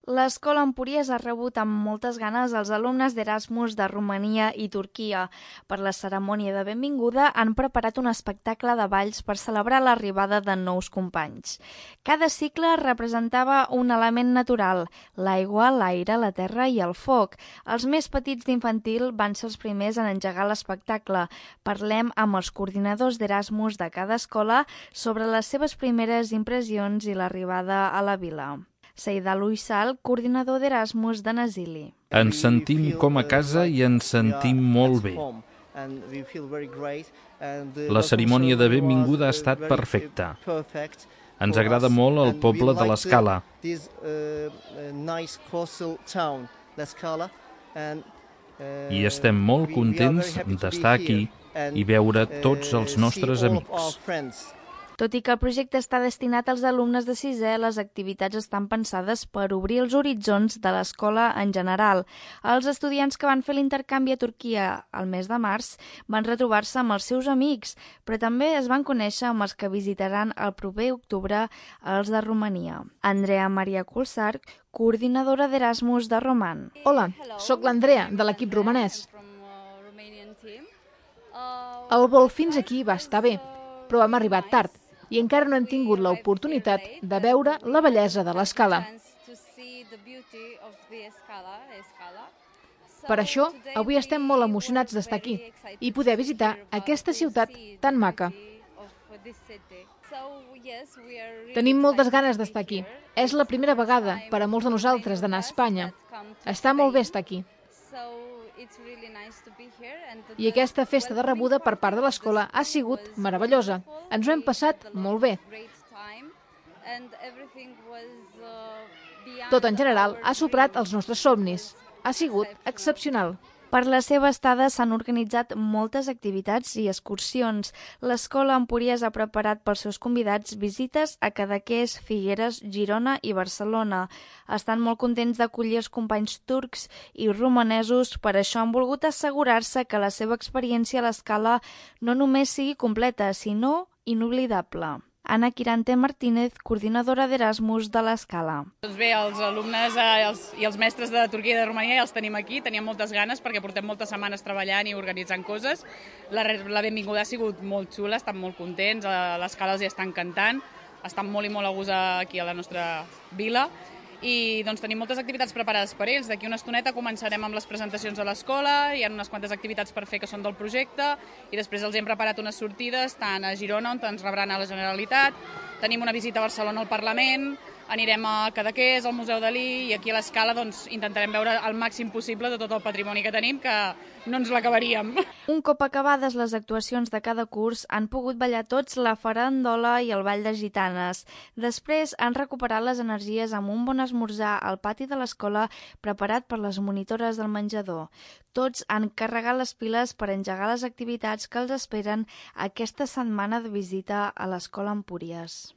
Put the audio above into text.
L'escola Empúries ha rebut amb moltes ganes els alumnes d'Erasmus de Romania i Turquia. Per la cerimònia de benvinguda han preparat un espectacle de balls per celebrar l'arribada de nous companys. Cada cicle representava un element natural: l'aigua, l'aire, la terra i el foc. Els més petits d'infantil van ser els primers en engegar l'espectacle. Parlem amb els coordinadors d'Erasmus de cada escola sobre les seves primeres impressions i l'arribada a la vila. Seidal Uysal, coordinador d'Erasmus de Nasili. Ens sentim com a casa i ens sentim molt bé. La cerimònia de benvinguda ha estat perfecta. Ens agrada molt el poble de l'Escala. I estem molt contents d'estar aquí i veure tots els nostres amics. Tot i que el projecte està destinat als alumnes de sisè, les activitats estan pensades per obrir els horitzons de l'escola en general. Els estudiants que van fer l'intercanvi a Turquia al mes de març van retrobar-se amb els seus amics, però també es van conèixer amb els que visitaran el proper octubre els de Romania. Andrea Maria Kulsar, coordinadora d'Erasmus de Roman. Hola, sóc l'Andrea, de l'equip romanès. El vol fins aquí va estar bé, però hem arribat tard i encara no hem tingut l'oportunitat de veure la bellesa de l'Escala. Per això, avui estem molt emocionats d'estar aquí i poder visitar aquesta ciutat tan maca. Tenim moltes ganes d'estar aquí. És la primera vegada per a molts de nosaltres d'anar a Espanya. Està molt bé estar aquí. I aquesta festa de rebuda per part de l'escola ha sigut meravellosa. Ens ho hem passat molt bé. Tot en general ha superat els nostres somnis. Ha sigut excepcional. Per la seva estada s'han organitzat moltes activitats i excursions. L'escola Empúries ha preparat pels seus convidats visites a Cadaqués, Figueres, Girona i Barcelona. Estan molt contents d'acollir els companys turcs i romanesos, per això han volgut assegurar-se que la seva experiència a l'Escala no només sigui completa, sinó inoblidable. Ana Quirante Martínez, coordinadora d'Erasmus de l'Escala. Doncs bé, els alumnes i els mestres de Turquia i de Romania ja els tenim aquí, teníem moltes ganes perquè portem moltes setmanes treballant i organitzant coses. La benvinguda ha sigut molt xula, estan molt contents, a l'Escala els hi estan encantant, estan molt i molt a gust aquí a la nostra vila i doncs tenim moltes activitats preparades per ells. D'aquí una estoneta començarem amb les presentacions de l'escola, hi ha unes quantes activitats per fer que són del projecte i després els hem preparat unes sortides tant a Girona, on ens rebran a la Generalitat, tenim una visita a Barcelona al Parlament, anirem a Cadaqués, al Museu Dalí i aquí a l'Escala doncs, intentarem veure el màxim possible de tot el patrimoni que tenim, que no ens l'acabaríem. Un cop acabades les actuacions de cada curs, han pogut ballar tots la farandola i el ball de gitanes. Després han recuperat les energies amb un bon esmorzar al pati de l'escola preparat per les monitores del menjador. Tots han carregat les piles per engegar les activitats que els esperen aquesta setmana de visita a l'escola Empúries.